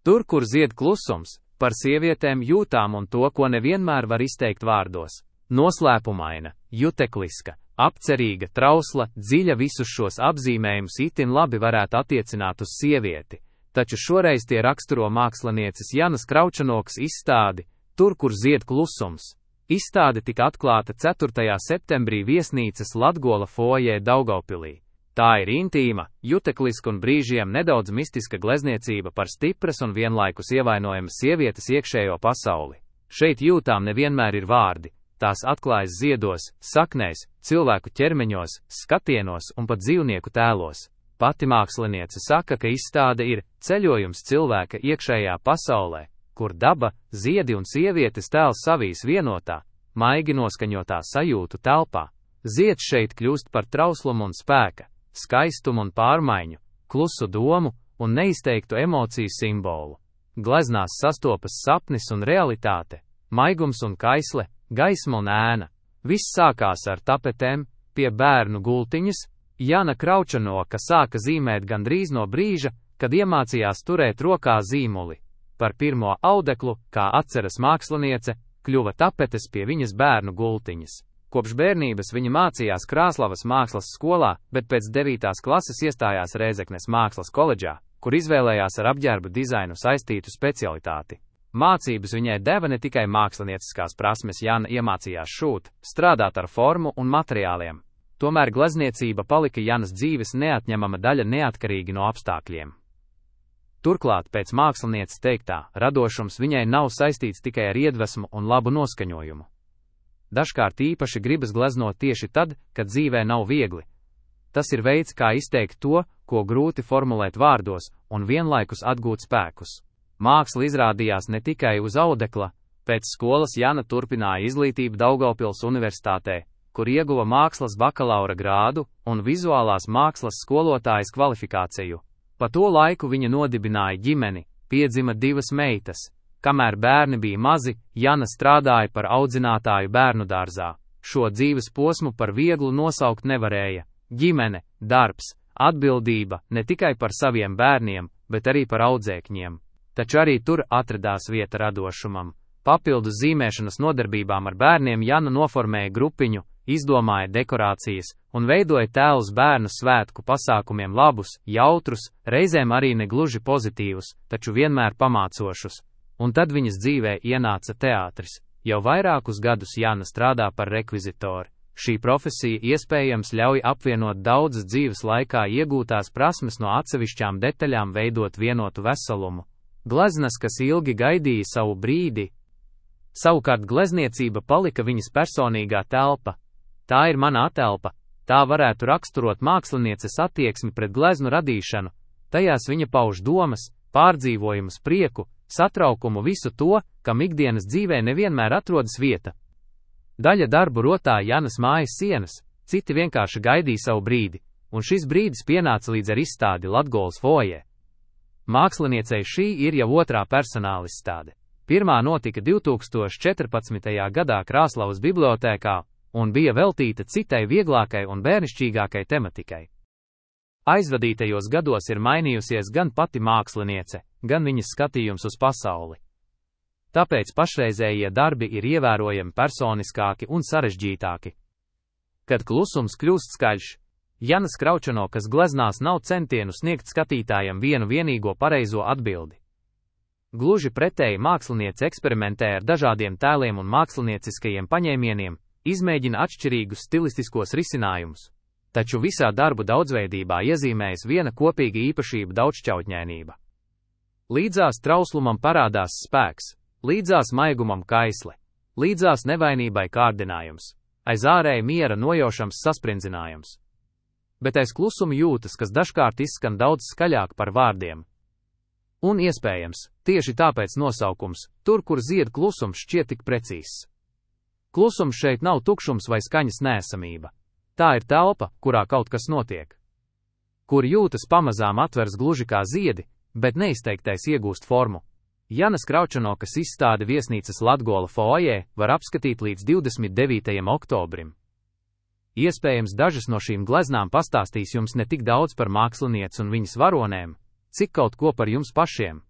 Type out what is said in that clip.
Tur, kur zied klusums, par sievietēm jūtām un to, ko nevienmēr var izteikt vārdos. Noslēpumaina, jutekliska, apcerīga, trausla, dziļa visus šos apzīmējumus itin labi varētu attiecināt uz sievieti, taču šoreiz tie raksturo mākslinieces Janas Kraučanokas izstādi Tur, kur zied klusums. Izstāde tika atklāta 4. septembrī viesnīcas Latgola fojē Daugavpilī. Tā ir intīma, jutekliska un brīžiem nedaudz mistiska glezniecība par stipras un vienlaikus ievainojamas sievietes iekšējo pasauli. Šeit jūtām nevienmēr ir vārdi, tās atklājas ziedos, saknēs, cilvēku ķermeņos, skatienos un pat dzīvnieku tēlos. Pati māksliniece saka, ka izstāde ir ceļojums cilvēka iekšējā pasaulē, kur daba, ziedi un sievietes tēls savīs vienotā, maigi noskaņotā sajūtu telpā. Zieds šeit kļūst par trauslumu un spēka, skaistumu un pārmaiņu, klusu domu un neizteiktu emociju simbolu. Gleznās sastopas sapnis un realitāte, maigums un kaisle, gaisma un ēna. Viss sākās ar tapetēm, pie bērnu gultiņas. Jana Kraučanoka sāka zīmēt gandrīz no brīža, kad iemācījās turēt rokā zīmuli. Par pirmo audeklu, kā atceras māksliniece, kļuva tapetes pie viņas bērnu gultiņas. Kopš bērnības viņa mācījās Krāslavas mākslas skolā, bet pēc 9. klases iestājās Rēzeknes mākslas koledžā, kur izvēlējās ar apģērbu dizainu saistītu specialitāti. Mācības viņai deva ne tikai mākslinieciskās prasmes, Jana iemācījās šūt, strādāt ar formu un materiāliem. Tomēr glezniecība palika Janas dzīves neatņemama daļa neatkarīgi no apstākļiem. Turklāt, pēc mākslinieces teiktā, radošums viņai nav saistīts tikai ar iedvesmu un labu noskaņojumu. Dažkārt īpaši gribas gleznot tieši tad, kad dzīvē nav viegli. Tas ir veids, kā izteikt to, ko grūti formulēt vārdos, un vienlaikus atgūt spēkus. Māksla izrādījās ne tikai uz audekla. Pēc skolas Jana turpināja izglītību Daugavpils universitātē, kur ieguva mākslas bakalaura grādu un vizuālās mākslas skolotājas kvalifikāciju. Pa to laiku viņa nodibināja ģimeni, piedzima 2 meitas. Kamēr bērni bija mazi, Jana strādāja par audzinātāju bērnu dārzā. Šo dzīves posmu par vieglu nosaukt nevarēja. Ģimene, darbs, atbildība ne tikai par saviem bērniem, bet arī par audzēkņiem. Taču arī tur atradās vieta radošumam. Papildus zīmēšanas nodarbībām ar bērniem Jana noformēja grupiņu, izdomāja dekorācijas un veidoja tēlus bērnu svētku pasākumiem labus, jautrus, reizēm arī negluži pozitīvus, taču vienmēr pamācošus. Un tad viņas dzīvē ienāca teātris. Jau vairākus gadus Jana strādā par rekvizitoru. Šī profesija iespējams ļauj apvienot daudzas dzīves laikā iegūtās prasmes no atsevišķām detaļām veidot vienotu veselumu. Gleznas, kas ilgi gaidīja savu brīdi. Savukārt glezniecība palika viņas personīgā telpa. Tā ir mana atelpa. Tā varētu raksturot mākslinieces attieksmi pret gleznu radīšanu. Tajās viņa pauž domas, pārdzīvojumus, prieku, satraukumu, visu to, kam ikdienas dzīvē nevienmēr atrodas vieta. Daļa darbu rotā Janas mājas sienas, citi vienkārši gaidīja savu brīdi, un šis brīdis pienāca līdz ar izstādi Latgolas fojē. Māksliniecei šī ir jau 2. personāla izstāde. Pirmā notika 2014. gadā Krāslavas bibliotēkā un bija veltīta citai vieglākai un bērnišķīgākai tematikai. Aizvadītajos gados ir mainījusies gan pati māksliniece, gan viņas skatījums uz pasauli. Tāpēc pašreizējie darbi ir ievērojami personiskāki un sarežģītāki. Kad klusums kļūst skaļš, Janas Kraučanokas gleznās nav centienu sniegt skatītājam vienu vienīgo pareizo atbildi. Gluži pretēji māksliniece eksperimentē ar dažādiem tēliem un mākslinieciskajiem paņēmieniem, izmēģina atšķirīgus stilistiskos risinājumus. Taču visā darbu daudzveidībā iezīmējas viena kopīga īpašība - daudzšķautņainība. Līdzās trauslumam parādās spēks, līdzās maigumam kaisle, līdzās nevainībai kārdinājums, aiz ārēja miera nojaušams saspringzinājums. Bet aiz klusuma jūtas, kas dažkārt izskan daudz skaļāk par vārdiem. Un iespējams, tieši tāpēc nosaukums Tur, kur zied klusums šķiet tik precīzs. Klusums šeit nav tukšums vai skaņas neesamība. Tā ir telpa, kurā kaut kas notiek. Kur jūtas pamazām atvers gluži kā ziedi, bet neizteiktais iegūst formu. Janas Kraučanokas izstāde viesnīcas Latgola fojē var apskatīt līdz 29. oktobrim. Iespējams, dažas no šīm gleznām pastāstīs jums ne tik daudz par mākslinieci un viņas varonēm, cik kaut ko par jums pašiem.